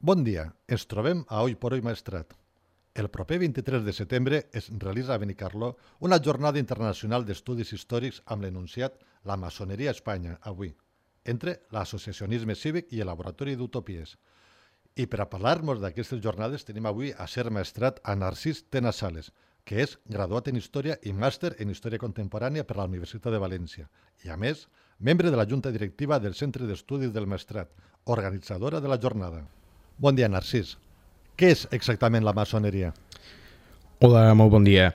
Bon dia, ens trobem a Oi por Oi Maestrat. El proper 23 de setembre es realitza a Benicarló una jornada internacional d'estudis històrics amb l'enunciat La maçoneria a Espanya, avui, entre l'associacionisme cívic i el laboratori d'utopies. I per a parlar-nos d'aquestes jornades tenim avui a Ser Maestrat a Narcís Tena Sales, que és graduat en Història i màster en Història Contemporània per la Universitat de València i, a més, membre de la Junta Directiva del Centre d'Estudis del Maestrat, organitzadora de la jornada. Bon dia, Narcís. Què és exactament la maçoneria? Hola, molt bon dia.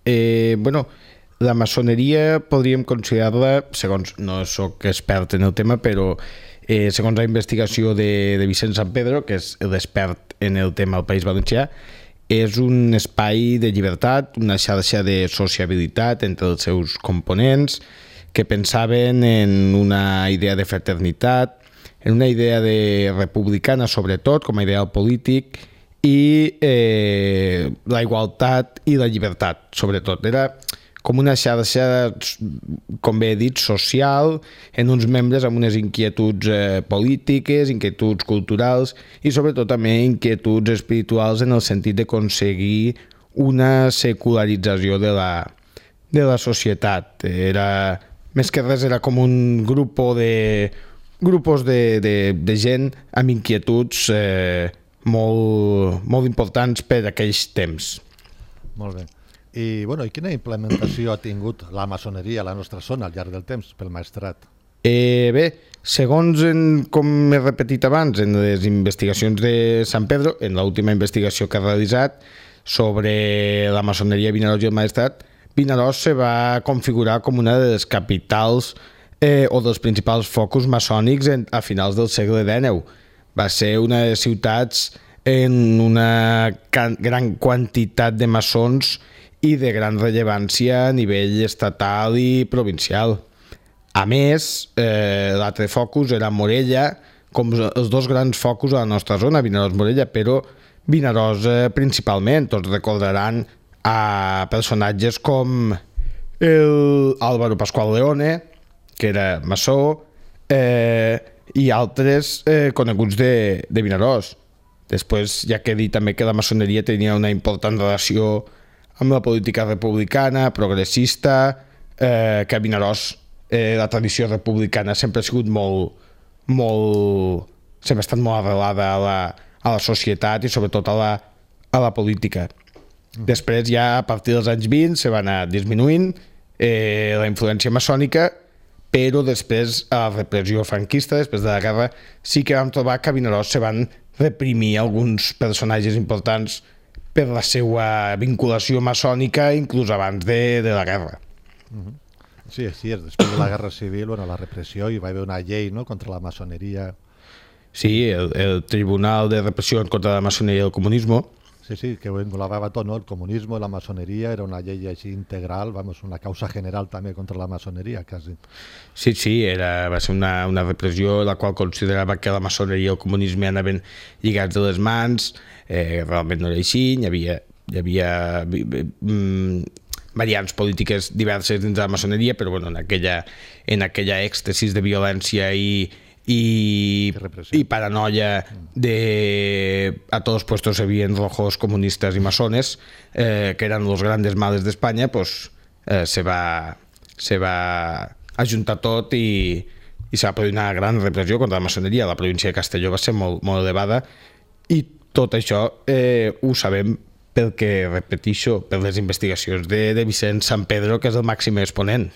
La maçoneria podríem considerar-la, segons, no sóc expert en el tema, però segons la investigació de Vicent Sampedro, que és l'expert en el tema al País Valencià, és un espai de llibertat, una xarxa de sociabilitat entre els seus components, que pensaven en una idea de fraternitat, en una idea de republicana, sobretot, com a ideal polític, i la igualtat i la llibertat, sobretot. Era com una xarxa, com bé he dit, social, en uns membres amb unes inquietuds polítiques, inquietuds culturals i sobretot també inquietuds espirituals en el sentit d'aconseguir una secularització de la societat. Més que res era com un grupos de gent amb inquietuds molt importants per aquells temps. Molt bé. I quina implementació ha tingut la maçoneria a la nostra zona al llarg del temps pel Maestrat? Segons com he repetit abans en les investigacions de Sant Pedro, en l'última investigació que ha realitzat sobre la maçoneria Vinaròs i el Maestrat, Vinaròs se va configurar com una de les capitals o dels principals focus maçònics a finals del segle XIX. Va ser una de les ciutats en una gran quantitat de maçons i de gran rellevància a nivell estatal i provincial. A més, l'altre focus era Morella, com els dos grans focus a la nostra zona, Vinaròs-Morella, però Vinaròs principalment. Tots recordaran a personatges com Álvaro Pascual Leone, que era maçó, i altres coneguts de Vinaròs. Després, ja que he dit també que la maçoneria tenia una important relació amb la política republicana, progressista, que a Vinaròs la tradició republicana sempre ha sigut sempre ha estat molt arrelada a la societat i sobretot a la política. Després, ja a partir dels anys 20, se va anar disminuint la influència maçònica, però després, a la repressió franquista, després de la guerra, sí que vam trobar que a Vinaròs se van reprimir alguns personatges importants per la seva vinculació maçònica, inclús abans de la guerra. Sí, així és. Després de la Guerra Civil, la repressió, hi va haver una llei contra la maçoneria. Sí, el Tribunal de Repressió en contra de la maçoneria i el comunisme. Sí, que ho engolava tot, el comunisme, la maçoneria, era una llei així integral, una causa general també contra la maçoneria, quasi. Sí, va ser una repressió la qual considerava que la maçoneria i el comunisme anaven lligats de les mans, realment no era així, hi havia variants polítiques diverses dins de la maçoneria, però en aquella èxtasis de violència y paranoia de a todos puestos habían rojos, comunistas y masones, que eran los grandes males de España, pues se va ajuntar tot i se va produir una gran repressió contra la maçoneria. La província de Castelló va ser molt elevada i tot això ho sabem perquè, repeteixo, per les investigacions de Vicent Sampedro, que és el màxim exponent.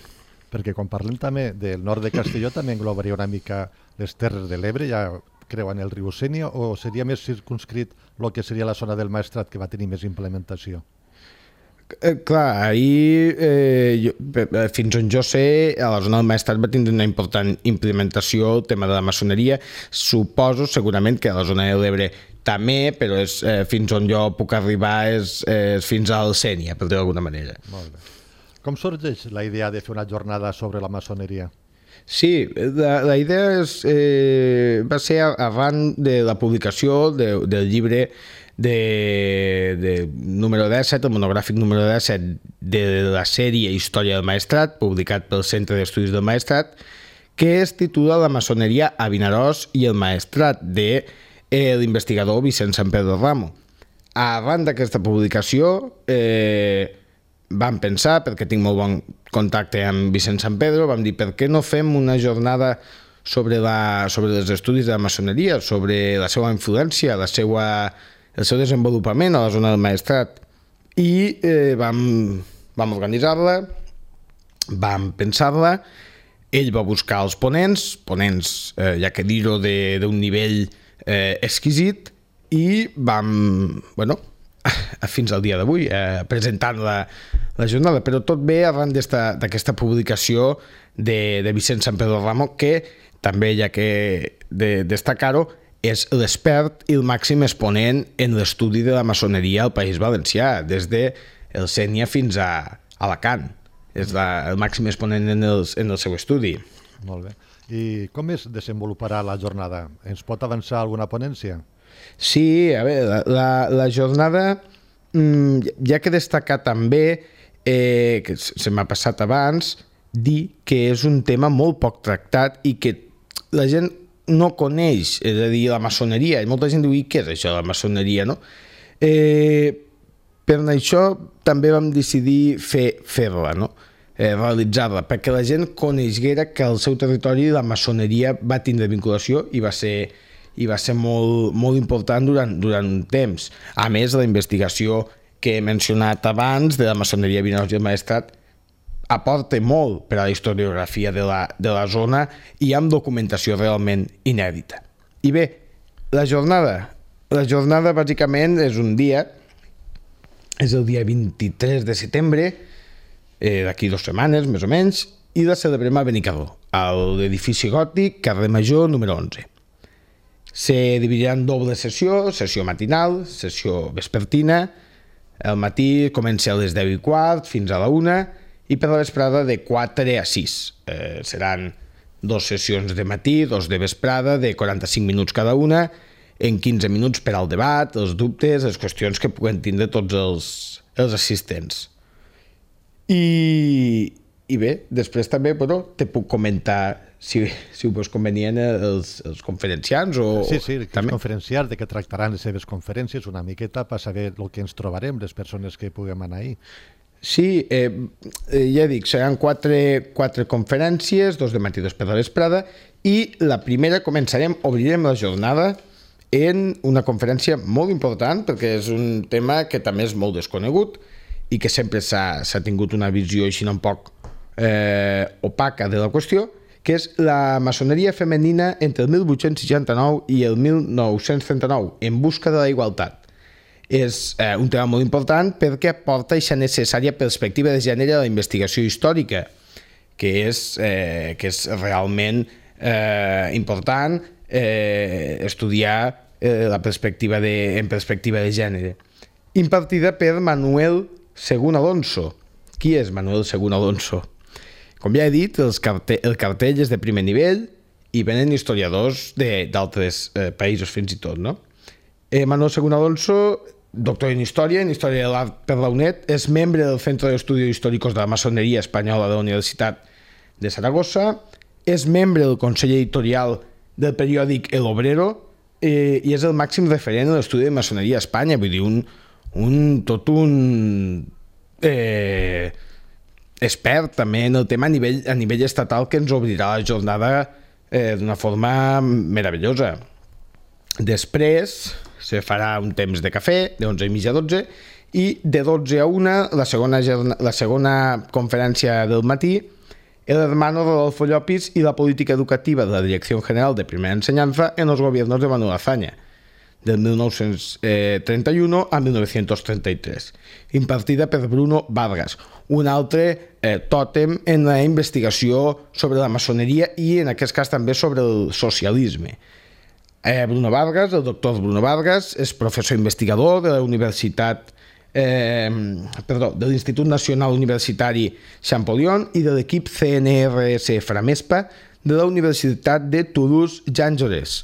Perquè quan parlem també del nord de Castelló també englobaria una mica les Terres de l'Ebre, ja creuen el riu Sénia, o seria més circunscrit el que seria la zona del Maestrat, que va tenir més implementació? Clar, ahir, fins on jo sé, a la zona del Maestrat va tindre una important implementació el tema de la maçoneria. Suposo, segurament, que a la zona de l'Ebre també, però fins on jo puc arribar és fins al Sénia, per dir d'alguna manera. Molt bé. Com sorgeix la idea de fer una jornada sobre la maçoneria? Sí, la idea va ser arran de la publicació del llibre de número 17, el monogràfic número 17 de la sèrie Història del Maestrat, publicat pel Centre d'Estudis del Maestrat, que es titula La maçoneria a Vinaròs i el Maestrat, de l'investigador Vicent Sampedro Ramo. Arran d'aquesta publicació vam pensar, perquè tinc molt bon contacte amb Vicent Sampedro, vam dir per què no fem una jornada sobre els estudis de la maçoneria, sobre la seva influència, el seu desenvolupament a la zona del Maestrat. I vam organitzar-la, vam pensar-la, ell va buscar els ponents, ja que dir-ho, d'un nivell exquisit, i vam, fins al dia d'avui, presentant la jornada. Però tot ve arran d'aquesta publicació de Vicent Sampedro Ramo, que també, ja que destacar-ho, és l'expert i el màxim exponent en l'estudi de la maçoneria al País Valencià, des del Sénia fins a Alacant. És el màxim exponent en el seu estudi. Molt bé. I com es desenvoluparà la jornada? Ens pot avançar alguna ponència? Sí, a veure, la jornada, ja que destacar també, que se m'ha passat abans, dir que és un tema molt poc tractat i que la gent no coneix, és a dir, la maçoneria. I molta gent diu, i què és això, la maçoneria, no? Per això també vam decidir fer-la, no? Realitzar-la, perquè la gent coneguera que al seu territori la maçoneria va tindre vinculació i va ser molt important durant un temps. A més, la investigació que he mencionat abans de la maçoneria Vinaròs i el Maestrat aporta molt per a la historiografia de la zona i amb documentació realment inèdita. I bé, la jornada bàsicament és un dia, és el dia 23 de setembre, d'aquí 2 setmanes, més o menys, i la celebrem a Benicarló, a l'edifici gòtic, carrer Major, número 11. Se dividirà en doble sessió matinal, sessió vespertina. El matí comença a les 10:15 fins a la 1, i per la vesprada de 4 a 6. Seran 2 sessions de matí, 2 de vesprada, de 45 minuts cada una, en 15 minuts per al debat, els dubtes, les qüestions que puguen tindre tots els assistents. I bé, després també te puc comentar, si ho veus convenient, els conferenciants. Sí, els conferenciants, de què tractaran les seves conferències, una miqueta per saber el que ens trobarem, les persones que puguem anar ahir. Sí, ja dic, seran 4 conferències, 2 de matí i 2 per la vesprada, i la primera obrirem la jornada en una conferència molt important, perquè és un tema que també és molt desconegut i que sempre s'ha tingut una visió així un poc opaca de la qüestió, que és la maçoneria femenina entre el 1869 i el 1939, en busca de la igualtat. És un tema molt important perquè aporta aquesta necessària perspectiva de gènere a la investigació històrica, que és realment important estudiar la perspectiva en perspectiva de gènere. Impartida per Manuel Según Alonso. Qui és Manuel Según Alonso? Com ja he dit, el cartell és de primer nivell i venen historiadors d'altres països fins i tot, no? Manuel Según Alonso, doctor en Història de l'Art per la UNED, és membre del Centro de Estudios Históricos de la Masonería Espanyola de la Universitat de Saragossa, és membre del Consell Editorial del periòdic El Obrero i és el màxim referent en l'estudi de maçoneria a Espanya, vull dir, tot un expert també en el tema a nivell estatal, que ens obrirà la jornada d'una forma meravellosa. Després se farà un temps de cafè, de 11:30 a 12, i de 12 a 1, la segona conferència del matí, el hermano Rodolfo Llopis y la política educativa de la Dirección General de Primera Enseñanza en los gobiernos de Manuel Azaña, del 1931 a 1933, impartida per Bruno Vargas, un altre tòtem en la investigació sobre la maçoneria i, en aquest cas, també sobre el socialisme. Bruno Vargas, el doctor Bruno Vargas, és professor investigador de la Universitat de l'Institut Nacional Universitari Champollion i de l'equip CNRS Framespa de la Universitat de Toulouse-Jean Jaurès.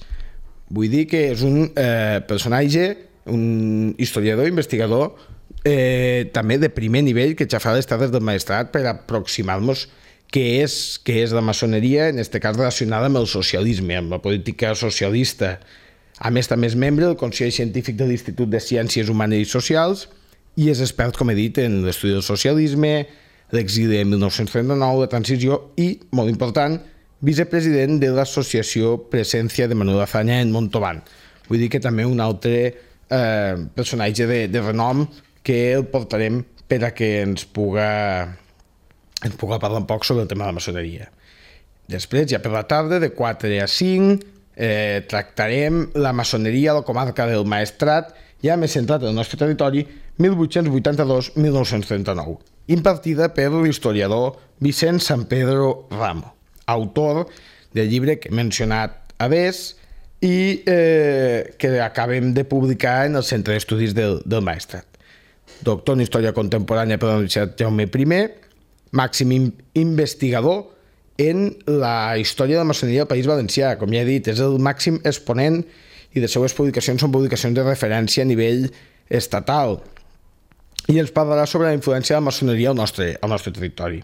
Vull dir que és un personatge, un historiador, investigador, també de primer nivell, que ja fa les tasques del Maestrat per aproximar-nos què és la maçoneria, en aquest cas relacionada amb el socialisme, amb la política socialista A més, també és membre del Consell Científic de l'Institut de Ciències Humanes i Socials i és expert, com he dit, en l'estudi del socialisme, l'exili de 1939, la transició i, molt important, vicepresident de l'associació Presencia de Manuel Azaña en Montauban. Vull dir que també un altre personatge de renom que el portarem per a que ens puga parlar un poc sobre el tema de la maçoneria. Després, ja per la tarda, de 4 a 5, tractarem la maçoneria a la comarca del Maestrat, ja més centrat en el nostre territori, 1882-1939, impartida per l'historiador Vicent San Pedro Ramo, autor del llibre que he mencionat abans i que acabem de publicar en el Centre d'Estudis del Maestrat. Doctor en Història Contemporània per la Universitat Jaume I, màxim investigador en la història de la maçoneria del País Valencià. Com ja he dit, és el màxim exponent i les seues publicacions són publicacions de referència a nivell estatal. I ens parlarà sobre la influència de la maçoneria al nostre territori.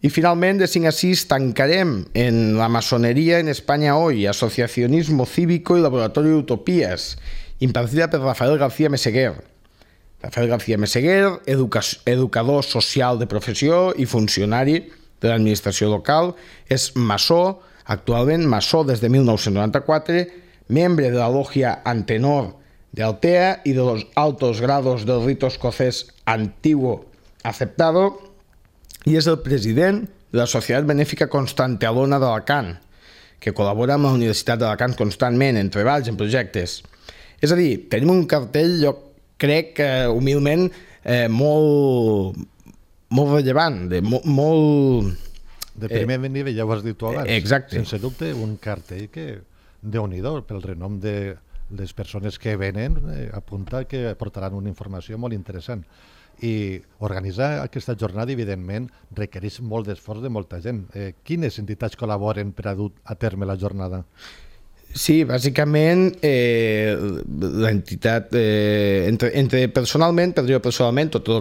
I finalment, de 5 a 6, tancarem en la maçoneria en España hoy, Asociacionismo Cívico y Laboratorio de Utopías, impartida per Rafael García Meseguer. Rafael García Meseguer, educador social de professió i funcionari de l'administració local, és maçó, actualment maçó des de 1994, membre de la logia Antenor de Altea y de los altos grados del rito escocés antiguo aceptado, i és el president de la Societat Benèfica Constantealona d'Alacant, que col·labora amb la Universitat d'Alacant constantment en treballs, en projectes. És a dir, tenim un cartell, jo crec, humilment, molt rellevant, molt... De primer nivell, ja ho has dit tu abans. Exacte. Sense dubte, un cartell que, déu-n'hi-do, pel renom de les persones que venen, apunta que portaran una informació molt interessant. I organitzar aquesta jornada, evidentment, requereix molt d'esforç de molta gent. Quines entitats col·laboren per a dur a terme la jornada? Sí, bàsicament l'entitat, personalment, tot el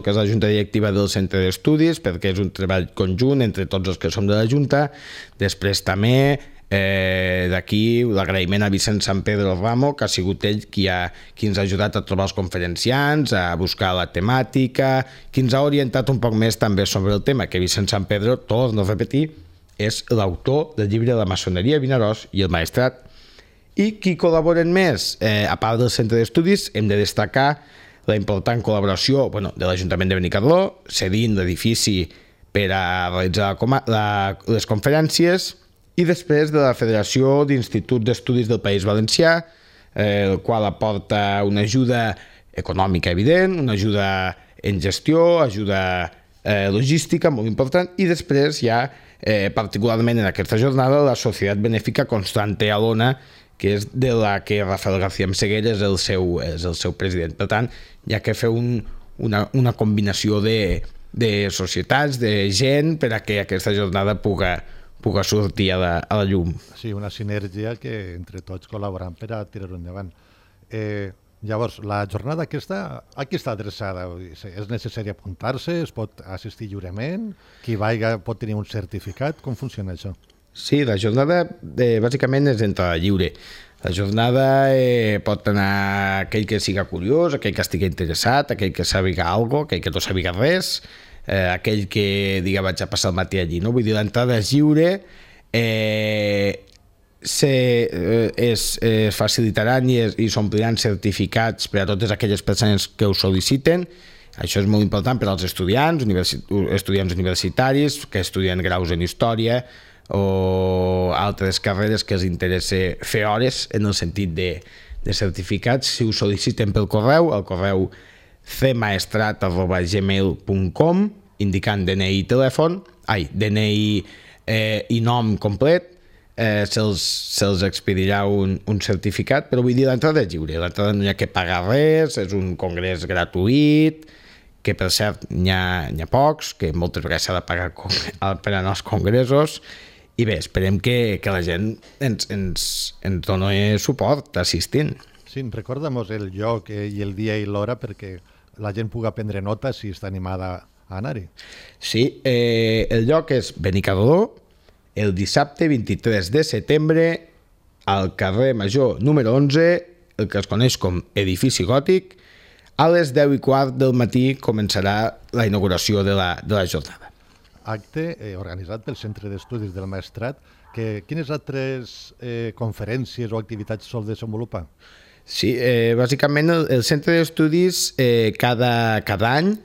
que és la Junta Directiva del Centre d'Estudis, perquè és un treball conjunt entre tots els que som de la Junta. Després també d'aquí l'agraïment a Vicent San Pedro Ramo, que ha sigut ell qui ens ha ajudat a trobar els conferenciants, a buscar la temàtica, qui ens ha orientat un poc més també sobre el tema, que Vicent San Pedro, torno a repetir, és l'autor del llibre de la maçoneria Vinaròs i el Maestrat. I qui col·laboren més? A part del Centre d'Estudis, hem de destacar la important col·laboració de l'Ajuntament de Benicarló, cedint l'edifici per a realitzar les conferències, i després de la Federació d'Instituts d'Estudis del País Valencià, el qual aporta una ajuda econòmica evident, una ajuda en gestió, ajuda logística molt important, i després ja, particularment en aquesta jornada, la Societat Benèfica Constantealona, que és de la que Rafael García Meseguer és el seu president. Per tant, hi ha que fer una combinació de societats, de gent, per a que aquesta jornada puga sortir a la llum. Sí, una sinergia que entre tots col·laboram per a tirar-ho endavant. Llavors, la jornada aquesta, a qui està adreçada? És necessari apuntar-se? Es pot assistir lliurement? Qui vaiga pot tenir un certificat? Com funciona això? Sí, la jornada bàsicament és d'entrada lliure. La jornada pot anar aquell que siga curiós, aquell que estigui interessat, aquell que sàpiga alguna cosa, aquell que no sàpiga res, aquell que diga vaig a passar el matí allí. Vull dir, l'entrada és lliure, es facilitaran i s'ompliran certificats per a totes aquelles persones que ho sol·liciten. Això és molt important per als estudiants universitaris que estudien graus en història o altres carreres que els interessa fer hores en el sentit de certificats. Si ho sol·liciten pel correu, el correu cmaestrat@gmail.com, indicant DNI i telèfon, DNI i nom complet, se'ls expedirà un certificat, però vull dir, l'entrada és lliure, l'entrada no hi ha que pagar res, és un congrés gratuït, que per cert n'hi ha pocs, que moltes vegades s'ha de pagar per anar als congressos, i bé, esperem que la gent ens doni suport assistint. Sí, recorda'm el lloc i el dia i l'hora perquè la gent pugui prendre nota si està animada a anar-hi. Sí, el lloc és Benicarló, el dissabte 23 de setembre al carrer Major número 11, el que es coneix com edifici gòtic. A les 10:15 del matí començarà la inauguració de la jornada. Acte organitzat pel Centre d'Estudis del Maestrat. Quines altres conferències o activitats sol desenvolupar? Sí, bàsicament el Centre d'Estudis cada any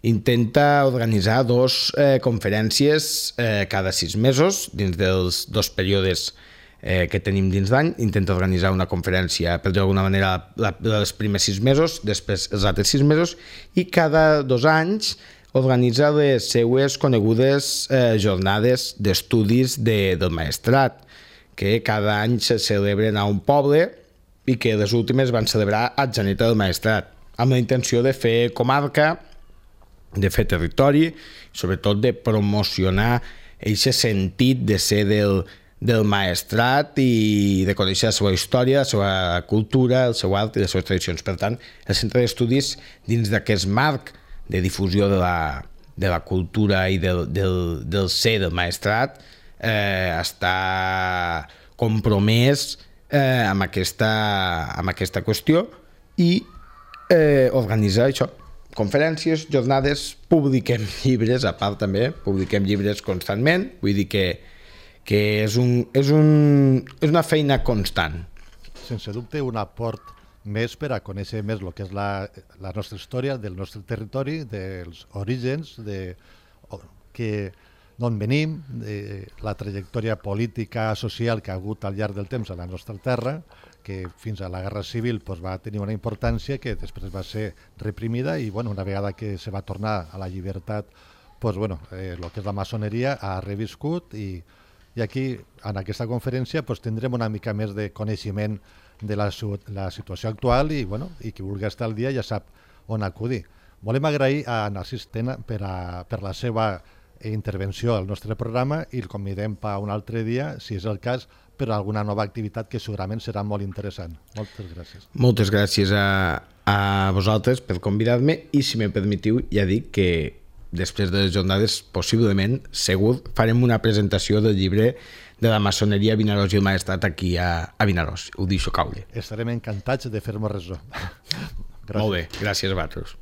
intenta organitzar 2 conferències cada 6 mesos, dins dels 2 períodes que tenim dins d'any. Intenta organitzar una conferència, per dir d'alguna manera, els primers 6 mesos, després els altres 6 mesos, i cada 2 anys organitza les seues conegudes jornades d'estudis del Maestrat, que cada any se celebren a un poble i que les últimes van celebrar a Atzeneta del Maestrat, amb la intenció de fer comarca, de fer territori, sobretot de promocionar aquest sentit de ser del Maestrat i de conèixer la seva història, la seva cultura, el seu art i les seves tradicions. Per tant, el Centre d'Estudis, dins d'aquest marc de difusió de la cultura i del ser del Maestrat, està compromès amb aquesta qüestió i organitza això, conferències, jornades, publiquem llibres, a part també, publiquem llibres constantment, vull dir que és una feina constant. Sense dubte, un aport més per a conèixer més el que és la nostra història, del nostre territori, dels orígens, d'on venim, de la trajectòria política, social que ha hagut al llarg del temps a la nostra terra, que fins a la Guerra Civil va tenir una importància que després va ser reprimida i una vegada que se va tornar a la llibertat, el que és la maçoneria ha reviscut i aquí, en aquesta conferència, tindrem una mica més de coneixement de la situació actual i qui vulgui estar al dia ja sap on acudir. Volem agrair a Narcís Tena per la seva intervenció al nostre programa i el convidem per un altre dia, si és el cas, per a alguna nova activitat que segurament serà molt interessant. Moltes gràcies. Moltes gràcies a vosaltres per convidar-me i, si me permetiu, ja dic que després de les jornades, possiblement, segur, farem una presentació del llibre de la maçoneria Vinaròs i el Maestrat aquí a Vinaròs. Ho deixo caure. Estarem encantats de fer-nos ressò. Molt bé, gràcies a vosaltres.